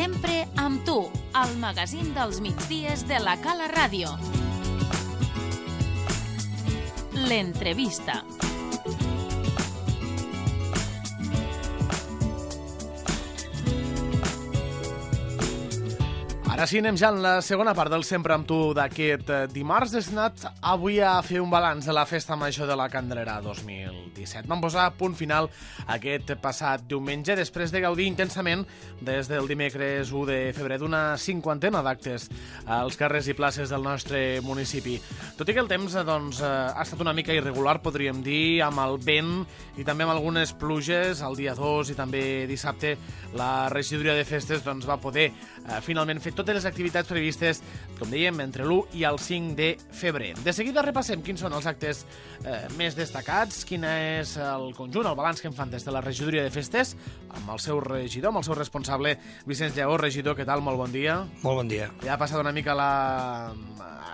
Sempre amb tu, al magazín dels migdies de la Cala Ràdio. L'entrevista. Ara sí, anem ja en la segona part del Sempre amb tu d'aquest dimarts. Destinat avui a fer un balanç de la Festa Major de la Candelera 2017. Vam posar punt final aquest passat diumenge, després de gaudir intensament des del dimecres 1 de febrer d'una cinquantena d'actes als carrers i places del nostre municipi. Tot i que el temps ha estat una mica irregular, podríem dir, amb el vent i també amb algunes pluges, el dia 2 i també dissabte la regidoria de festes va poder finalment fer totes les activitats previstes, com dèiem, entre l'1 i el 5 de febrer. De seguida repassem quins són els actes més destacats, quin és el conjunt, el balanç que en fan des de la regidoria de festes, amb el seu regidor, amb el seu responsable, Vicenç Lleó. Regidor, què tal? Molt bon dia. Molt bon dia. Ja ha passat una mica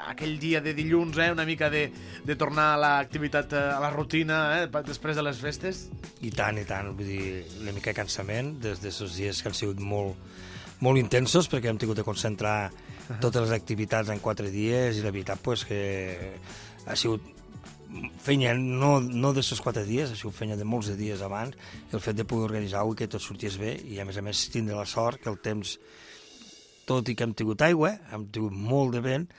aquell dia de dilluns, una mica de tornar a l'activitat, a la rutina, després de les festes? I tant, vull dir, una mica de cansament des d'aquests dies que han sigut molt intensos, perquè hem tingut de concentrar totes les activitats en 4 dies i la veritat que ha sigut feina no d'aquests 4 dies, ha sigut feina de molts de dies abans, i el fet de poder organitzar-ho i que tot sortís bé, i a més tindre la sort que el temps, tot i que hem tingut aigua, hem tingut molt de vent,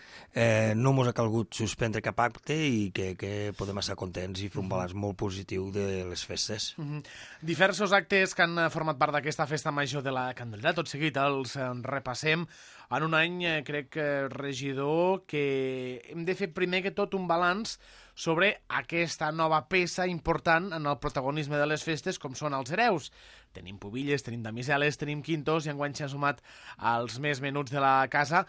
no ens ha calgut suspendre cap acte i que podem estar contents i fer un balanç molt positiu de les festes. Diversos actes que han format part d'aquesta Festa Major de la Candelera, tot seguit els repassem. En un any, crec, regidor, que hem de fer primer que tot un balanç sobre aquesta nova peça important en el protagonisme de les festes, com són els hereus. Tenim pubilles, tenim damiseles, tenim quintos, i enguany s'ha sumat als més menuts de la casa.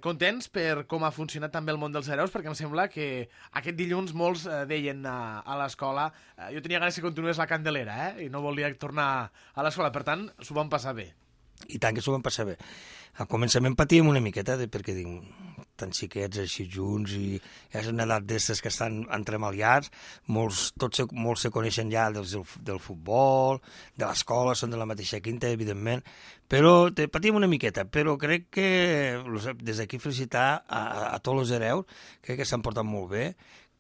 Contents per com ha funcionat també el món dels hereus, perquè em sembla que aquest dilluns molts deien a l'escola jo tenia ganes que continués la Candelera, i no volia tornar a l'escola, per tant, s'ho van passar bé. I tant que s'ho van passar bé. Al començament patíem una miqueta, perquè tan xiquets així junts, i és una edat d'estes que estan entremaliats, molts se coneixen ja del futbol, de l'escola, són de la mateixa quinta, evidentment, però patim una miqueta, però crec que des d'aquí felicitar a tots els hereus, crec que s'han portat molt bé,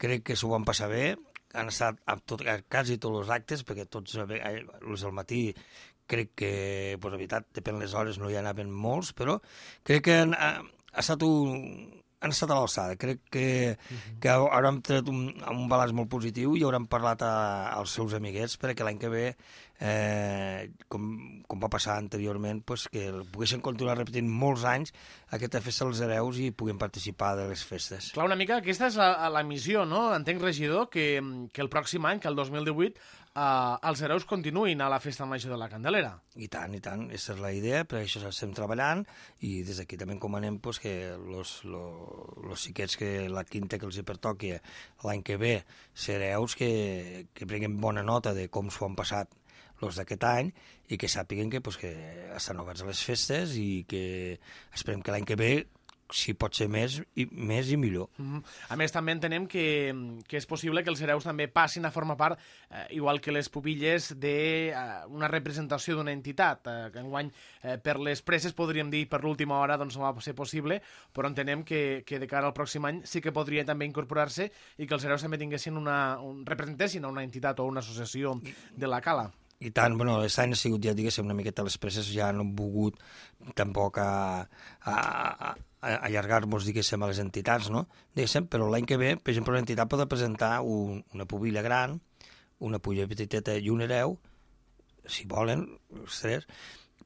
crec que s'ho van passar bé, han estat a quasi tots els actes, perquè tots els del matí crec que, la veritat, depèn de les hores, no hi anaven molts, però crec que han estat a l'alçada. Crec que hauran tret un balanç molt positiu i hauran parlat als seus amiguets perquè l'any que ve, com va passar anteriorment, que poguessin continuar repetint molts anys aquesta festa dels hereus i puguin participar de les festes. Clar, una mica aquesta és la missió, no? Entenc, regidor, que el pròxim any, que el 2018, els hereus continuïn a la Festa Major de la Candelera. I tant, aquesta és la idea, per això estem treballant, i des d'aquí també encomanem que els xiquets que la quinta que els pertoqui l'any que ve ser hereus que prenguin bona nota de com s'ho han passat els d'aquest any i que sàpiguen que estan oberts a les festes i que esperem que l'any que ve si pot ser més i millor. A més, també entenem que és possible que els hereus també passin a formar part, igual que les pubilles, d'una representació d'una entitat. Que enguany, per les presses, podríem dir, per l'última hora, no va ser possible, però entenem que de cara al pròxim any sí que podria també incorporar-se i que els hereus també tinguessin representessin a una entitat o una associació de la Cala. I tant, aquest any ha sigut, ja diguéssim, una miqueta les presses, ja no hem volgut tampoc allargar-nos, diguéssim, a les entitats, no? Diguéssim, però l'any que ve, per exemple, una entitat pot presentar una pubilla gran, una pubilla petiteta i un hereu, si volen, els tres,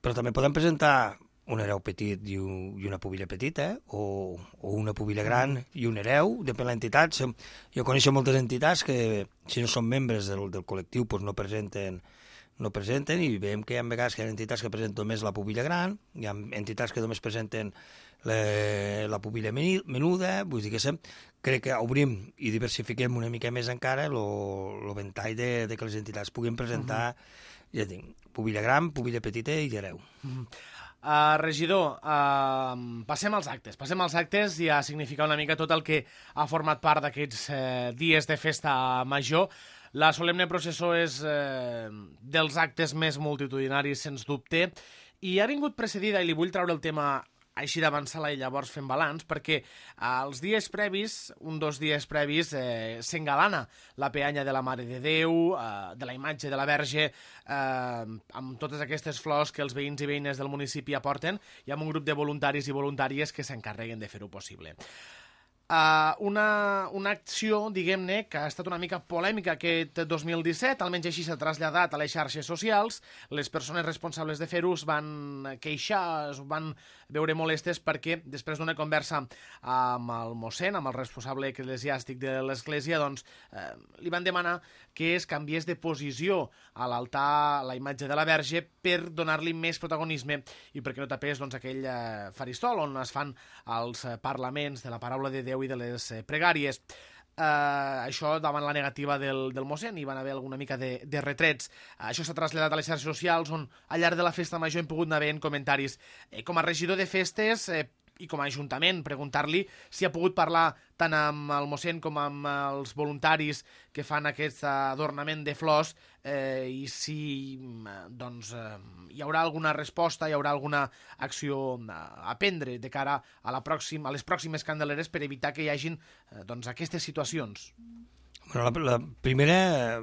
però també poden presentar un hereu petit i una pubilla petita, o una pubilla gran i un hereu, depèn de l'entitat. Jo coneixo moltes entitats que, si no són membres del col·lectiu, no presenten, i veiem que hi ha vegades que hi ha entitats que presenten només la pubilla gran, hi ha entitats que només presenten la pubilla menuda, vull dir que crec que obrim i diversifiquem una mica més encara el ventall de que les entitats puguin presentar, ja dic, pubilla gran, pubilla petita i hereu. Regidor, passem als actes i a significar una mica tot el que ha format part d'aquests dies de festa major. La solemne processó és dels actes més multitudinaris, sens dubte, I ha vingut precedida, i li vull treure el tema així d'avançar-la i llavors fem balanç, perquè els dies previs, un dos dies previs, s'engalana la peanya de la Mare de Déu, de la imatge de la Verge, amb totes aquestes flors que els veïns i veïnes del municipi aporten, i amb un grup de voluntaris i voluntàries que s'encarreguen de fer-ho possible. Una acció, diguem-ne, que ha estat una mica polèmica aquest 2017, almenys així s'ha traslladat a les xarxes socials. Les persones responsables de fer-ho es van queixar, es van veure molestes perquè després d'una conversa amb el mossèn, amb el responsable eclesiàstic de l'església, doncs li van demanar que es canviés de posició a l'altar la imatge de la Verge per donar-li més protagonisme i perquè no tapés doncs, aquell faristol on es fan els parlaments de la paraula de Déu i de les pregàries. Això davant la negativa del mossèn, hi van haver alguna mica de retrets. Això s'ha traslladat a les xarxes socials, on al llarg de la festa major hem pogut anar veient comentaris. Com a regidor de festes i com a ajuntament, preguntar-li si ha pogut parlar tant amb el mossèn com amb els voluntaris que fan aquest adornament de flors i si doncs, hi haurà alguna resposta, hi haurà alguna acció a prendre de cara a les pròximes Candeleres per evitar que hi hagin doncs, aquestes situacions. Bueno, la primera,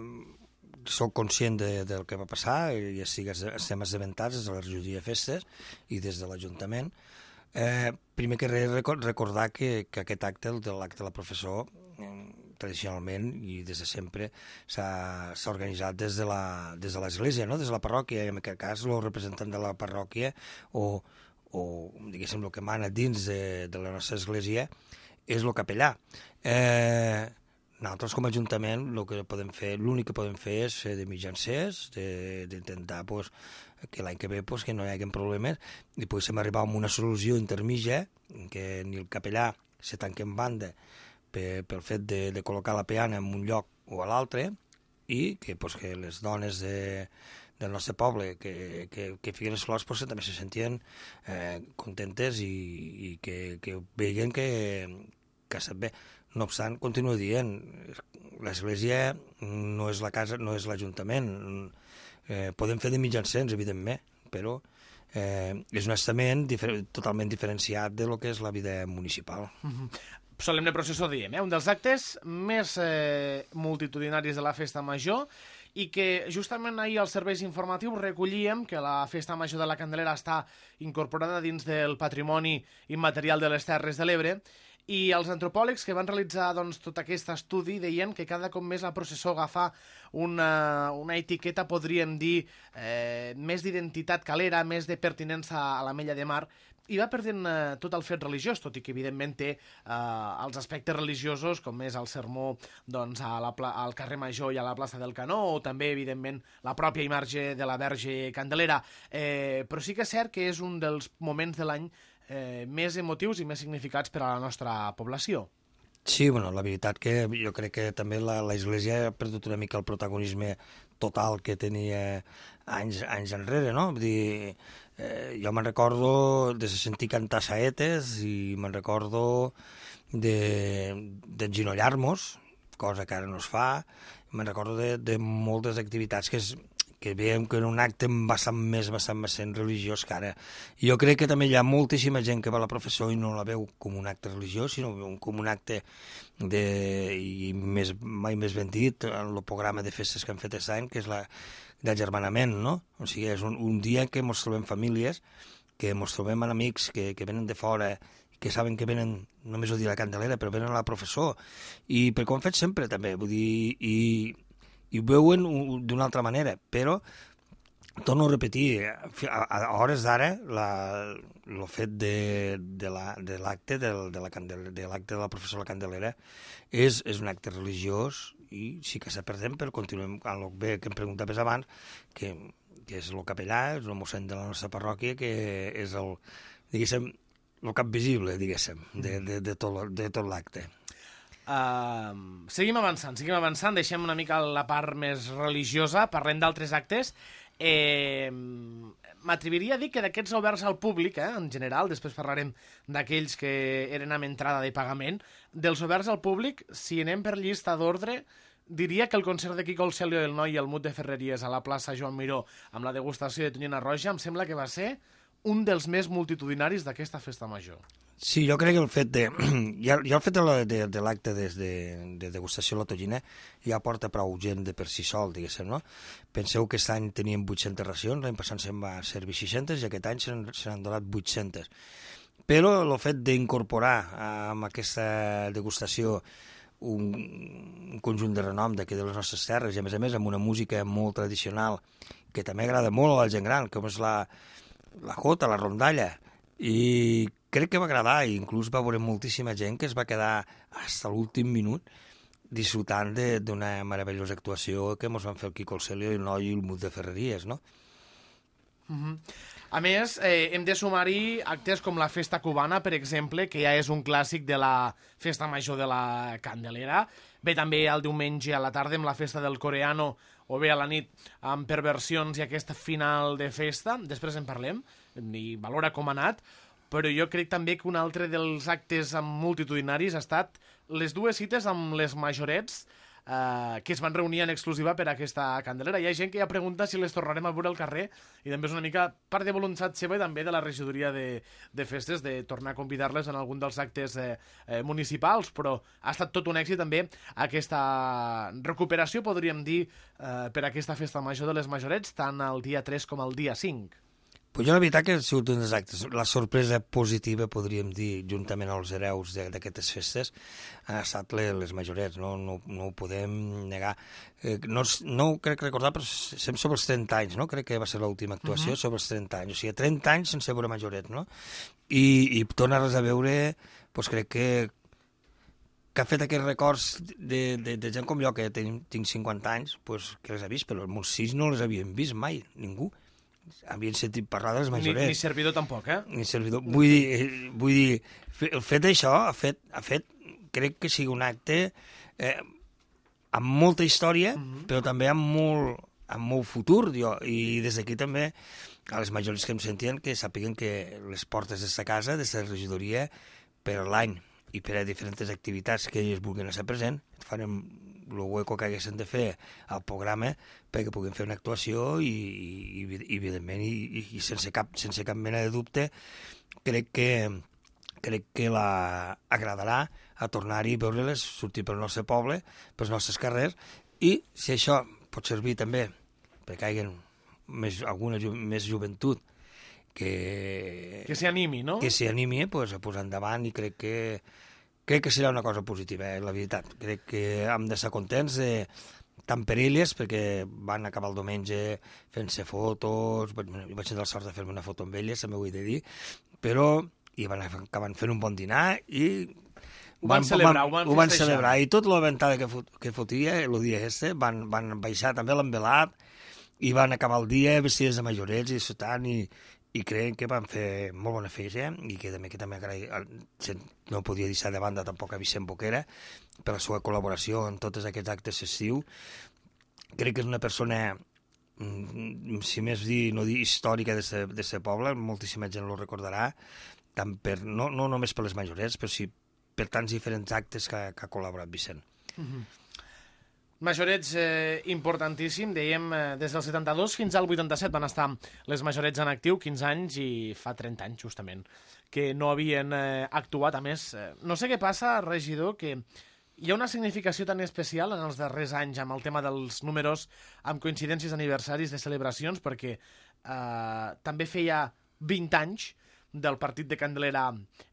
soc conscient del que va passar, ja sigui estem assabentats des de la regidoria de festes i des de l'Ajuntament. Primer que res recordar que aquest acte, l'acte de la professó, tradicionalment i des de sempre s'ha organitzat des de l'església, no? Des de la parròquia, i en aquest cas el representant de la parròquia o diguéssim el que mana dins de la nostra església és el capellà. Nosaltres com a Ajuntament l'únic que podem fer és fer de mitjancers, d'intentar que l'any que ve que no hi hagi problemes i poguéssim arribar a una solució intermitja que ni el capellà se tanqui en banda pel fet de col·locar la peana en un lloc o a l'altre i que les dones del nostre poble que fiquen les flors també se sentien contentes i que veien que sap bé. No obstant, continuo dient, l'església no és la casa, no és l'Ajuntament. Podem fer de mitjancers, evidentment, però és un estament totalment diferenciat de lo que és la vida municipal. Solemne processó, diem, un dels actes més multitudinaris de la Festa Major i que justament ahir als serveis informatius recollíem que la Festa Major de la Candelera està incorporada dins del patrimoni immaterial de les Terres de l'Ebre. I els antropòlegs que van realitzar doncs, tot aquest estudi deien que cada cop més la processó agafa una etiqueta, podríem dir, més d'identitat calera, més de pertinença a l'Ametlla de Mar, i va perdent tot el fet religiós, tot i que evidentment té els aspectes religiosos, com és el sermó doncs, al carrer Major i a la plaça del Canó, o també, evidentment, la pròpia imatge de la Verge Candelera. Però sí que és cert que és un dels moments de l'any més emotius i més significats per a la nostra població. Sí, bueno, la veritat que jo crec que també l'Església ha perdut una mica el protagonisme total que tenia anys enrere, no? Vull dir, jo me'n recordo de sentir cantar saetes i me'n recordo d'enginollar-nos, cosa que ara no es fa, me'n recordo de moltes activitats que veiem que en un acte bastant més religiós que ara. Jo crec que també hi ha moltíssima gent que va a la processó i no la veu com un acte religiós, sinó com un acte i mai més ben dit, en el programa de festes que han fet aquest any, que és d'agermanament, no? O sigui, és un dia que ens trobem famílies, que ens trobem amics que venen de fora, que saben que venen, només ho dir la Candelera, però venen a la processó, i perquè ho han fet sempre també, vull dir, i ho veuen d'una altra manera, però torno a repetir, a hores d'ara el fet de l'acte de la professora Candelera és un acte religiós i sí que s'ha perdent, però continuem amb el bé que em preguntaves abans, que és el capellà, és el mossèn de la nostra parròquia, que és el cap visible, diguéssim, de tot l'acte. Seguim avançant, deixem una mica la part més religiosa, parlem d'altres actes. M'atreviria a dir que d'aquests oberts al públic, en general, després parlarem d'aquells que eren amb entrada de pagament, dels oberts al públic, si anem per llista d'ordre, diria que el concert de Quico el Celio, el Noi i el Mut de Ferreries a la plaça Joan Miró amb la degustació de tonyina roja em sembla que va ser un dels més multitudinaris d'aquesta festa major. Sí, jo crec que el fet de... ja el fet de l'acte de degustació de la tonyina ja porta prou gent de per si sol, diguéssim, no? Penseu que aquest any teníem 800 racions, l'any passat se'n va servir 600 i aquest any se n'han donat 800. Però el fet d'incorporar amb aquesta degustació un conjunt de renom d'aquí de les nostres terres i a més amb una música molt tradicional que també agrada molt a la gent gran, com és la jota, la rondalla, i crec que va agradar i inclús va veure moltíssima gent que es va quedar fins a l'últim minut disfrutant d'una meravellosa actuació que ens van fer el Quico el Celio i el Noi i el Mut de Ferreries, no? A més, hem de sumar-hi actes com la Festa Cubana, per exemple, que ja és un clàssic de la Festa Major de la Candelera. Ve també el diumenge a la tarda amb la Festa del Coreano o bé a la nit amb perversions i aquest final de festa. Després en parlem i valora com ha anat. Però jo crec també que un altre dels actes multitudinaris ha estat les dues cites amb les majorets que es van reunir en exclusiva per a aquesta Candelera. Hi ha gent que ja pregunta si les tornarem a veure al carrer i també és una mica part de voluntat seva i també de la regidoria de festes de tornar a convidar-les en algun dels actes municipals, però ha estat tot un èxit també aquesta recuperació, podríem dir, per a aquesta festa major de les majorets, tant el dia 3 com el dia 5. Pues jo la veritat que ha sigut un dels actes. La sorpresa positiva, podríem dir, juntament als hereus d'aquestes festes, han estat les majorets, no ho podem negar. No ho crec recordar, però sempre sobre els 30 anys, no? Crec que va ser l'última actuació sobre els 30 anys. O sigui, 30 anys sense veure majorets, no? I tornar-les a veure, doncs crec que ha fet aquests records de gent com jo, que tinc 50 anys, doncs que les ha vist, però els meus fills no les havien vist mai, ningú. Havien sentit parlar de les majorets. Ni servidor tampoc, eh? Ni servidor. Vull dir, el fet d'això ha fet, crec que sigui un acte amb molta història, però també amb molt futur, i des d'aquí també a les majorets que em sentien que sàpiguen que les portes d'esta casa, d'esta regidoria, per l'any i per a diferents activitats que ells vulguin estar present, farem el hueco que haguessin de fer al programa perquè puguin fer una actuació i evidentment, i sense cap mena de dubte, crec que agradarà a tornar-hi a veure-les, sortir pel nostre poble, pels nostres carrers, i si això pot servir també perquè hi hagi alguna més joventut que s'hi animi, no? Que s'hi animi a posar endavant, i crec que serà una cosa positiva, la veritat. Crec que hem d'estar contents tant per elles, perquè van acabar el diumenge fent-se fotos, jo vaig tenir la sort de fer-me una foto amb elles, també ho he de dir, però i van acabar fent un bon dinar i ho van celebrar, i tot la ventada que fotia el dia van baixar també l'envelat i van acabar el dia vestides de majorets i disfrutant, i crec que van fer molt bona feina, i que també agrair, no podia deixar de banda tampoc a Vicent Boquera per la seva col·laboració en tots aquests actes festius. Crec que és una persona, si més dir, no dir històrica d'aquest poble, moltíssima gent lo recordarà, no només per les majorets, però sí per tants diferents actes que ha col·laborat Vicent. Majorets importantíssim, dèiem, des del 72 fins al 87 van estar les majorets en actiu, 15 anys, i fa 30 anys, justament, que no havien actuat. A més, no sé què passa, regidor, que hi ha una significació tan especial en els darrers anys amb el tema dels números, amb coincidències d'aniversaris, de celebracions, perquè també feia 20 anys del partit de Candelera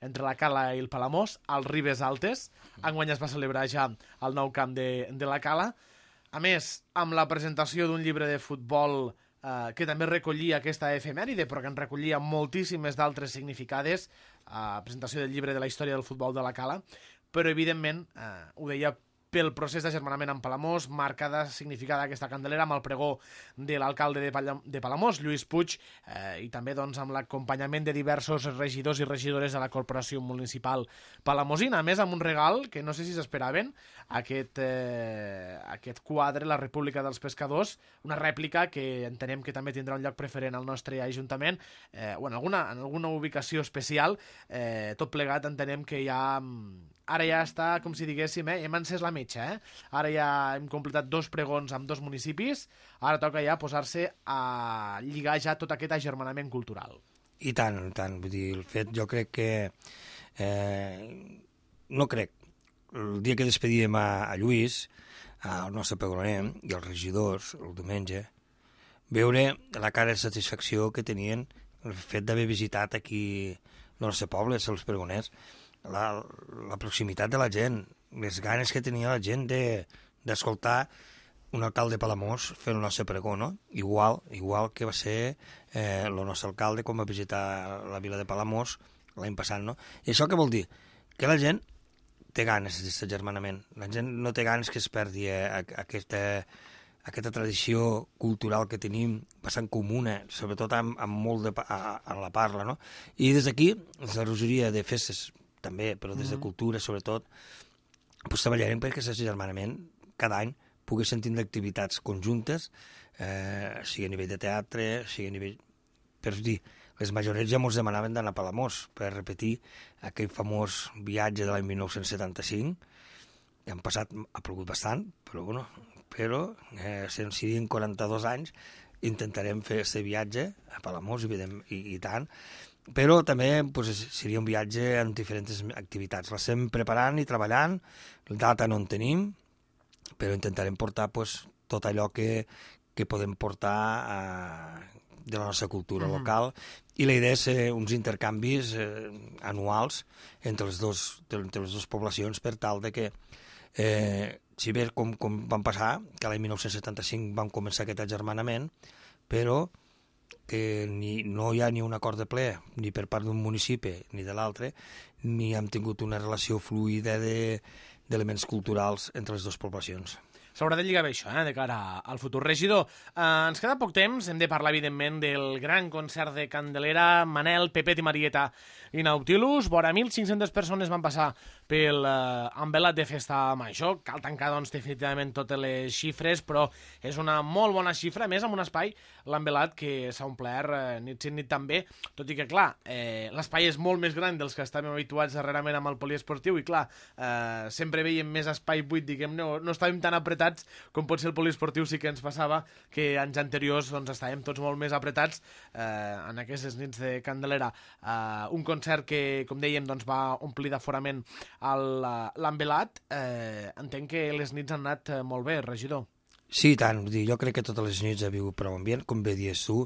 entre la Cala i el Palamós, als Ribes Altes. Enguany es va celebrar ja al nou camp de la Cala. A més, amb la presentació d'un llibre de futbol que també recollia aquesta efemèride, però que en recollia moltíssimes d'altres significades, presentació del llibre de la història del futbol de la Cala, però evidentment, ho deia, pel procés d'agermanament amb Palamós, marcada, significada aquesta Candelera amb el pregó de l'alcalde de Palamós, Lluís Puig, i també doncs, amb l'acompanyament de diversos regidors i regidores de la Corporació Municipal Palamosina. A més, amb un regal que no sé si s'esperaven, aquest quadre, La República dels Pescadors, una rèplica que entenem que també tindrà un lloc preferent al nostre Ajuntament, o en alguna ubicació especial. Tot plegat entenem que ja... Ara ja està, com si diguéssim, hem encès la metxa. metge, Ara ja hem completat 2 pregons amb 2 municipis, ara toca ja posar-se a lligar ja tot aquest agermanament cultural. I tant, vull dir, el fet, jo crec que... no crec. El dia que despedíem a Lluís, al nostre pegroner i els regidors, el diumenge, veure la cara de satisfacció que tenien el fet d'haver visitat aquí el nostre poble, els pregoners, la proximitat de la gent, les ganes que tenia la gent d'escoltar un alcalde de Palamós fer el nostre pregó, no? Igual que va ser el nostre alcalde quan va visitar la vila de Palamós l'any passat, no? I això què vol dir? Que la gent té ganes d'aquest agermanament. La gent no té ganes que es perdi aquesta tradició cultural que tenim bastant comuna, sobretot amb molt en la parla, no? I des d'aquí, des de la regidoria de festes també, però des de cultura sobretot, pues, treballarem perquè aquest agermanament cada any poguessin tindre activitats conjuntes, sigui a nivell de teatre, sigui a nivell... Per dir, les majorets ja ens demanaven d'anar a Palamós per repetir aquell famós viatge de l'any 1975. Ja han passat, ha plogut bastant, però si siguin 42 anys, intentarem fer aquest viatge a Palamós, i tant, però també seria un viatge amb diferents activitats. La estem preparant i treballant, la data no en tenim, però intentarem portar tot allò que podem portar de la nostra cultura local, i la idea és uns intercanvis anuals entre les dues poblacions per tal de que, si bé com van passar, que l'any 1975 vam començar aquest agermanament, però que no hi ha ni un acord de ple, ni per part d'un municipi ni de l'altre, ni hem tingut una relació fluida d'elements culturals entre les dues poblacions. S'haurà de lligar bé això, de cara al futur. Regidor, ens queda poc temps, hem de parlar, evidentment, del gran concert de Candelera, Manel, Pepet i Marieta i Nautilus. Vora 1.500 persones van passar pel envelat de festa major. Cal tancar, doncs, definitivament totes les xifres, però és una molt bona xifra, a més, amb un espai, l'envelat, que s'ha omplert nit sí nit també, tot i que, clar, l'espai és molt més gran dels que estàvem habituats darrerament amb el poliesportiu, i, clar, sempre veiem més espai buit, diguem, no estàvem tan apretats com pot ser el poliesportiu. Sí que ens passava que anys anteriors doncs, estàvem tots molt més apretats en aquestes nits de Candelera. Un concert que, com dèiem, doncs, va omplir d'aforament l'envelat. Entenc que les nits han anat molt bé, regidor. Sí, tant. Jo crec que totes les nits ha vingut prou ambient, com bé dius tu.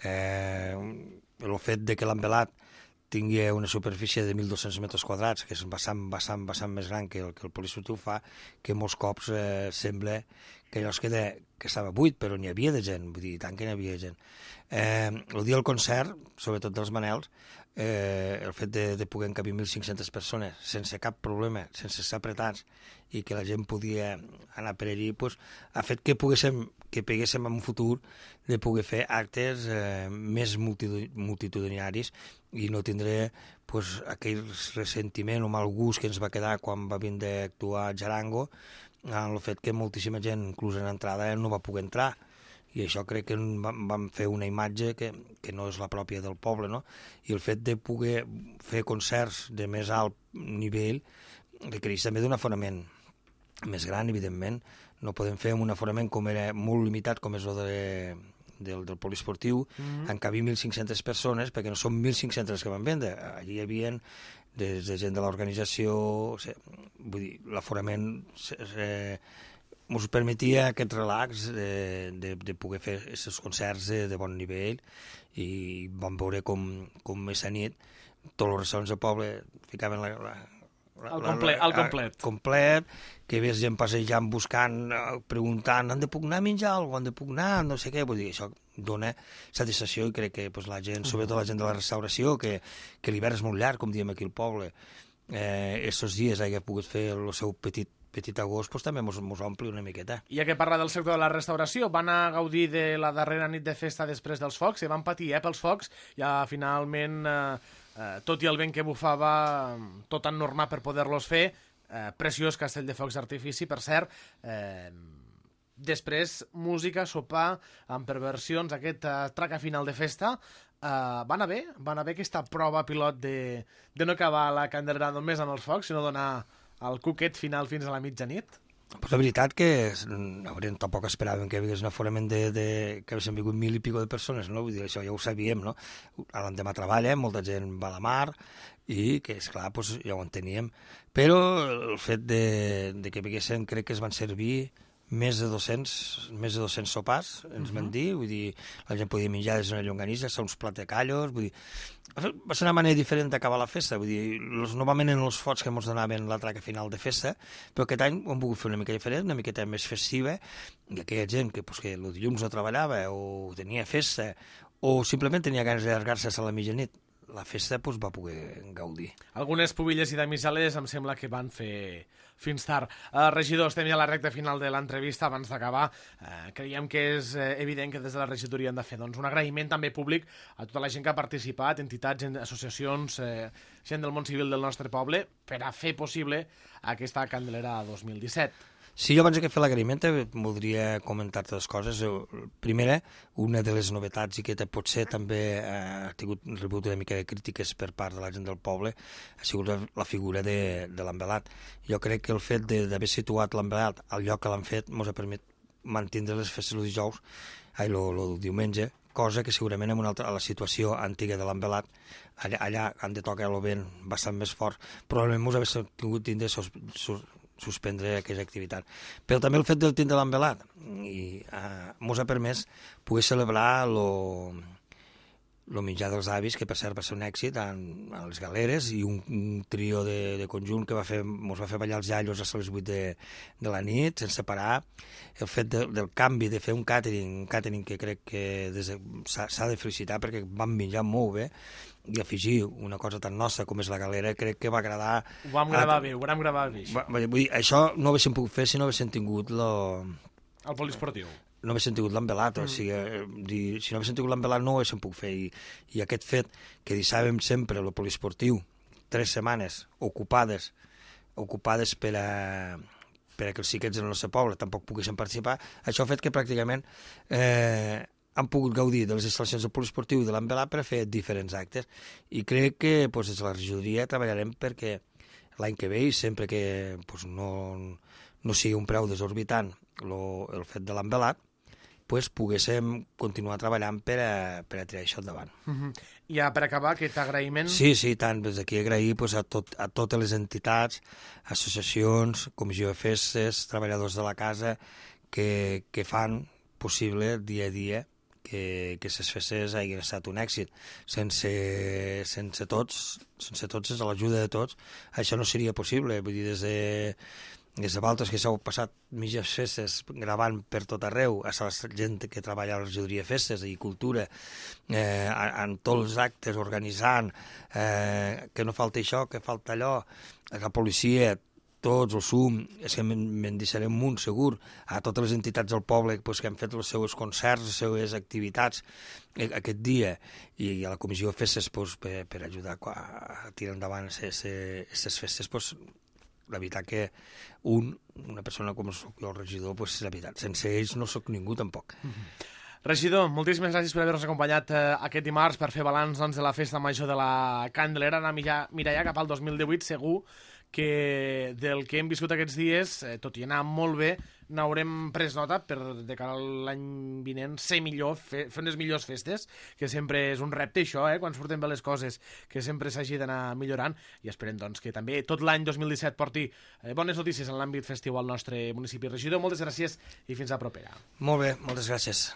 El fet de que l'envelat tingui una superfície de 1.200 metres quadrats, que és bastant més gran que el poliesportiu, fa que molts cops sembla que allò es queda, que estava buit, però n'hi havia de gent, vull dir, tant que n'hi havia gent. El dia del concert, sobretot dels Manels, el fet de poder encabir 1.500 persones sense cap problema, sense estar apretats, i que la gent podia anar per allí, ha fet que peguéssim en un futur de poder fer actes més multitudinaris i no tindré aquell ressentiment o mal gust que ens va quedar quan va vindre a actuar a Jarango, el fet que moltíssima gent, inclús en entrada, no va poder entrar. I això crec que vam fer una imatge que no és la pròpia del poble, no? I el fet de poder fer concerts de més alt nivell requereix també d'un aforament més gran, evidentment. No podem fer un aforament com era molt limitat, com és el del poliesportiu, encabir 1.500 persones, perquè no són 1.500 que van vendre. Allí hi havia des de gent de l'organització, vull dir, l'aforament ens permetia aquest relax de poder fer aquests concerts de bon nivell, i vam veure com aquesta nit tots els restaurants del poble ficaven el complet, que ves gent passejant, buscant, preguntant, han de puc anar a menjar alguna cosa, han de puc anar, no sé què, vull dir, això dona satisfacció, i crec que la gent, sobretot la gent de la restauració, que l'hivern és molt llarg, com diem aquí al poble, estos dies hagi pogut fer el seu petit agost, també ens ompli una miqueta. Ja que parla del sector de la restauració, van a gaudir de la darrera nit de festa després dels focs, i van patir pels focs, ja finalment, tot i el vent que bufava, tot ennormat per poder-los fer. Preciós castell de focs d'artifici, per cert. Després, música, sopar, amb perversions, aquest traca final de festa. Va anar bé aquesta prova pilot de no acabar la Candelera només amb els focs, sinó donar el cuquet final fins a la mitjanit? Pues la veritat que tampoc esperàvem que hi hagués un aforament que haguessin vingut 1.000 i pico de persones, no? Vull dir, això ja ho sabíem, no? L'endemà treballa, molta gent va a la mar, i que, esclar, pues, ja ho enteníem. Però el fet de que vinguessin, crec que es van servir més de 200 sopars, ens van dir, vull dir, la gent podia menjar des d'una llonganissa, uns plats de callos, vull dir, va ser una manera diferent d'acabar la festa, vull dir, normalment eren els fots que ens donaven la traca final de festa, però aquest any ho hem volgut fer una mica diferent, una miqueta més festiva, i aquella gent que el dilluns no treballava, o tenia festa, o simplement tenia ganes d'allargar-se a la mitjanit, la festa va poder gaudir. Algunes pubilles i damisales em sembla que van fer fins tard. Regidor, estem ja a la recta final de l'entrevista. Abans d'acabar, creiem que és evident que des de la regidoria hem de fer un agraïment també públic a tota la gent que ha participat, entitats, associacions, gent del món civil del nostre poble, per a fer possible aquesta Candelera 2017. Sí, jo abans de fer l'agraïment voldria comentar dues coses. Primera, una de les novetats, i que potser també ha rebut una mica de crítiques per part de la gent del poble, ha sigut la figura de l'envelat. Jo crec que el fet d'haver situat l'envelat al lloc que l'han fet ens ha permès mantindre les festes el dijous, el diumenge, cosa que segurament a la situació antiga de l'envelat, allà han de tocar el vent bastant més fort, probablement ens hauria tingut tindre suspendre aquella activitat. Però també el fet del tindre l'envelat ens ha permès poder celebrar el menjar dels avis, que per cert va ser un èxit a les galeres, i un trio de conjunt que ens va fer ballar els iaios a les 8 de la nit, sense parar. El fet del canvi, de fer un càtering que crec que s'ha de felicitar, perquè van menjar molt bé, i afegir una cosa tan nostra com és la galera, crec que va agradar... Ho vam gravar bé, això. Vull dir, això no ho haguéssim pogut fer si no haguéssim tingut el poliesportiu. No haguéssim tingut l'envelat, o sigui, si no haguéssim tingut l'envelat no ho haguéssim pogut fer, i aquest fet que deixàvem sempre el poliesportiu 3 setmanes ocupades per a que els xiquets del nostre poble tampoc poguessin participar, això ha fet que pràcticament han pogut gaudir de les instal·lacions del poliesportiu i de l'envelat per a fer diferents actes, i crec que des de la regidoria treballarem perquè l'any que ve, i sempre que no sigui un preu desorbitant el fet de l'envelat, poguéssim continuar treballant per a tirar això endavant. I per acabar, aquest agraïment... Sí, tant, des d'aquí agrair a totes les entitats, associacions, comissió de festes, treballadors de la casa, que fan possible dia a dia que les festes hagin estat un èxit. Sense tots, sense l'ajuda de tots, això no seria possible. Vull dir, des de vosaltres que s'heu passat mitges festes gravant per tot arreu, a la gent que treballa a la regidoria de festes i cultura, en tots els actes, organitzant, que no falta això, que falta allò, la policia, tots, el SUM, és que me'n deixarem un segur, a totes les entitats del poble que han fet els seus concerts, les seves activitats aquest dia, i a la comissió de festes per ajudar a tirar endavant aquestes festes. La veritat que una persona com soc jo, el regidor, és la veritat, sense ells no soc ningú tampoc. Regidor, moltíssimes gràcies per haver-nos acompanyat aquest dimarts per fer balanç de la festa major de la Candelera. Anar a mirar ja cap al 2018, segur que del que hem viscut aquests dies, tot i anar molt bé, n'haurem pres nota per de cara a l'any vinent ser millor, fer unes millors festes, que sempre és un repte això, quan surten bé les coses, que sempre s'hagi d'anar millorant, i esperem doncs, que també tot l'any 2017 porti bones notícies en l'àmbit festiu al nostre municipi. Regidor, moltes gràcies i fins a propera. Molt bé, moltes gràcies.